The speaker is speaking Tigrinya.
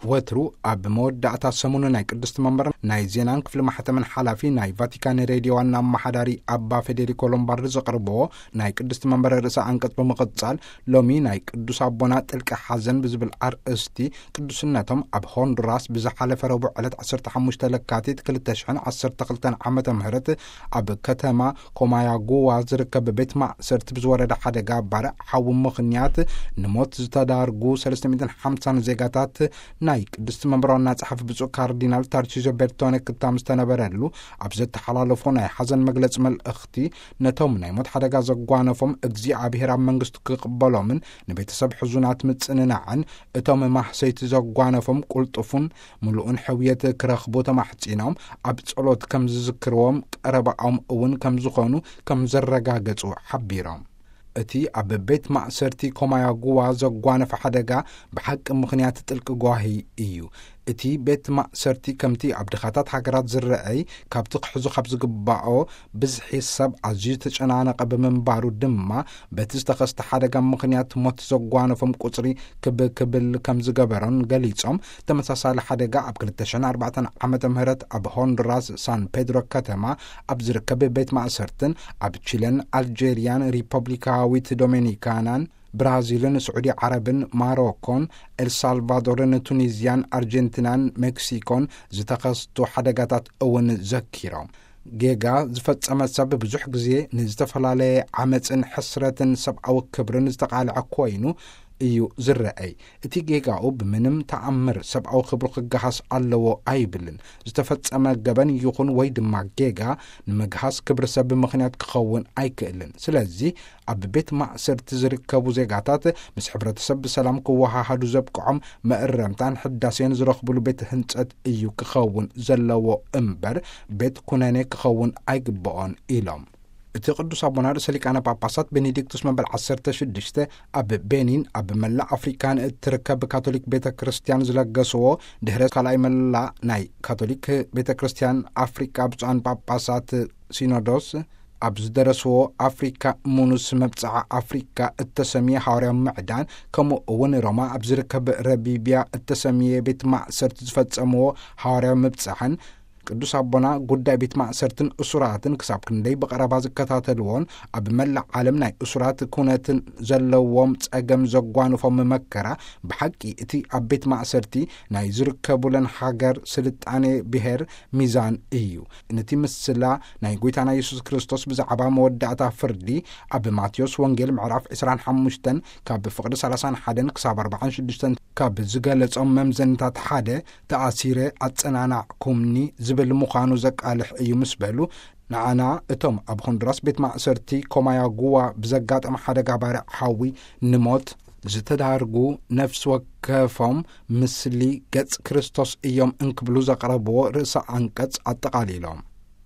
ወትሩ ኣብ መወዳእታ ሰሙኑ ናይ ቅድስቲ መንበር ናይ ዜናን ክፍሊ ማሕተምን ሓላፊ ናይ ቫቲካን ሬድዮ ዋና ኣመሓዳሪ ኣባ ፌዴሪኮ ሎምባርዲ ዘቕርብዎ ናይ ቅድስቲ መንበር ርእሰ ኣንቀጽ ብምቕጻል፣ ሎሚ ናይ ቅዱስ ኣቦና ጥልቂ ሓዘን ብዝብል ኣርእስቲ ቅዱስነቶም ኣብ ሆንዱራስ ብዝሓለፈ ረቡዕ ዕለት ዓሰርተ ሓሙሽተ ለካቲት ክልተ ሽሕን ዓሰርተ ክልተን ዓመተ ምህረት ኣብ ከተማ ኮማያጉዋ ዝርከብ ቤት ማእሰርቲ ብዝወረደ ሓደጋ ባርዕ ሓዊ ምኽንያት ንሞት ዝተዳርጉ ሰለስተ ሚእትን ሓምሳን ዜጋታት ናይ ቅድስቲ መንበር ዋና ጸሓፊ ብፁዕ ካርዲናል ታርቺዞ ቤርቶኔ ክታም ዝተነበረሉ ኣብ ዘተሓላለፎ ናይ ሓዘን መግለጺ መልእኽቲ፣ ነቶም ናይ ሞት ሓደጋ ዘጓነፎም እግዚኣብሔር ኣብ መንግስቱ ክቕበሎምን ንቤተሰብ ሕዙናት ምጽንናዕን፣ እቶም ማህሰይቲ ዘጓነፎም ቁልጡፉን ምሉእን ሕውየት ክረኽቡ ተማሕጺኖም ኣብ ጸሎት ከም ዝዝክርዎም ቀረባኦም እውን ከም ዝኾኑ ከም ዘረጋገጹ ሓቢሮም። እቲ ኣብ ቤት ማእሰርቲ ኮማያጉዋ ዘጓነፈ ሓደጋ ብሓቂ ምኽንያት ጥልቂ ጓሂ እዩ። እቲ ቤት ማእሰርቲ ከምቲ ኣብ ድኻታት ሃገራት ዝረኣይ ካብቲ ክሕዞ ካብ ዝግባኦ ብዝሒ ሰብ ኣዝዩ ዝተጨናነቐ ብምንባሩ ድማ በቲ ዝተኸስተ ሓደጋ ምኽንያት ሞት ዘጓነፎም ቁጽሪ ክብ ክብል ከም ዝገበሮን ገሊጾም፣ ተመሳሳሊ ሓደጋ ኣብ ክልተ ሽሕን ኣርባዕተን ዓመተ ምህረት ኣብ ሆንዱራስ ሳን ፔድሮ ከተማ ኣብ ዝርከብ ቤት ማእሰርትን ኣብ ቺለን፣ ኣልጄርያን፣ ሪፐብሊካዊት ዶሜኒካናን፣ ብራዚልን፣ ስዑዲ ዓረብን፣ ማሮኮን፣ ኤልሳልቫዶርን፣ ቱኒዝያን፣ ኣርጀንቲናን ሜክሲኮን ዝተኸስቱ ሓደጋታት እውን ዘኪሮም፣ ጌጋ ዝፈጸመ ሰብ ብዙሕ ግዜ ንዝተፈላለየ ዓመጽን ሕስረትን ሰብኣዊ ክብርን ዝተቓልዐ ኮይኑ እዩ ዝረኣይ። እቲ ጌጋኡ ብምንም ተኣምር ሰብኣዊ ክብሩ ክገሃስ ኣለዎ ኣይብልን። ዝተፈጸመ ገበን ይኹን ወይ ድማ ጌጋ ንምግሃስ ክብሪ ሰብ ምኽንያት ክኸውን ኣይክእልን። ስለዚ ኣብ ቤት ማእሰርቲ ዝርከቡ ዜጋታት ምስ ሕብረተሰብ ብሰላም ክወሃሃዱ ዘብቅዖም መእረምታን ሕዳሴን ዝረኽብሉ ቤት ህንጸት እዩ ክኸውን ዘለዎ እምበር ቤት ኩነኔ ክኸውን ኣይግብኦን ኢሎም። እቲ ቅዱስ ኣቦና ርእሰ ሊቃነ ጳጳሳት ቤኔዲክቱስ መበል ዓሰርተ ሽዱሽተ ኣብ ቤኒን ኣብ መላእ ኣፍሪካ ንእትርከብ ካቶሊክ ቤተ ክርስቲያን ዝለገስዎ ድሕረ ካልኣይ መላእ ናይ ካቶሊክ ቤተ ክርስቲያን ኣፍሪካ ብፁዓን ጳጳሳት ሲኖዶስ ኣብ ዝደረስዎ ኣፍሪካ ሙኑስ መብጽዓ ኣፍሪካ እተሰምየ ሃዋርያዊ ምዕዳን፣ ከምኡ እውን ሮማ ኣብ ዝርከብ ረቢብያ እተሰምየ ቤት ማእሰርቲ ዝፈጸምዎ ሃዋርያዊ ምብጻሕን፣ ቅዱስ ኣቦና ጉዳይ ቤት ማእሰርትን እሱራትን ክሳብ ክንደይ ብቐረባ ዝከታተልዎን ኣብ መላእ ዓለም ናይ እሱራት ኩነትን ዘለዎም ጸገም ዘጓንፎም መከራ ብሓቂ እቲ ኣብ ቤት ማእሰርቲ ናይ ዝርከቡለን ሃገር ስልጣኔ ብሔር ሚዛን እዩ። ነቲ ምስላ ናይ ጎይታና የሱስ ክርስቶስ ብዛዕባ መወዳእታ ፍርዲ ኣብ ማቴዎስ ወንጌል ምዕራፍ ዕስራን ሓሙሽተን ካብ ፍቕዲ ሰላሳን ሓደን ክሳብ ኣርባዓን ሽዱሽተን ካብ ዝገለጾም መምዘንታት ሓደ፣ ተኣሲረ ኣጸናናዕኩምኒ ዝብል ምዃኑ ዘቃልሕ እዩ ምስ በሉ፣ ንዓና እቶም ኣብ ሆንዱራስ ቤት ማእሰርቲ ኮማያጉዋ ብዘጋጠመ ሓደጋ ባርዕ ሓዊ ንሞት ዝተዳርጉ ነፍሲ ወከፎም ምስሊ ገጽ ክርስቶስ እዮም እንክብሉ ዘቕረብዎ ርእሰ ኣንቀጽ ኣጠቓሊሎም።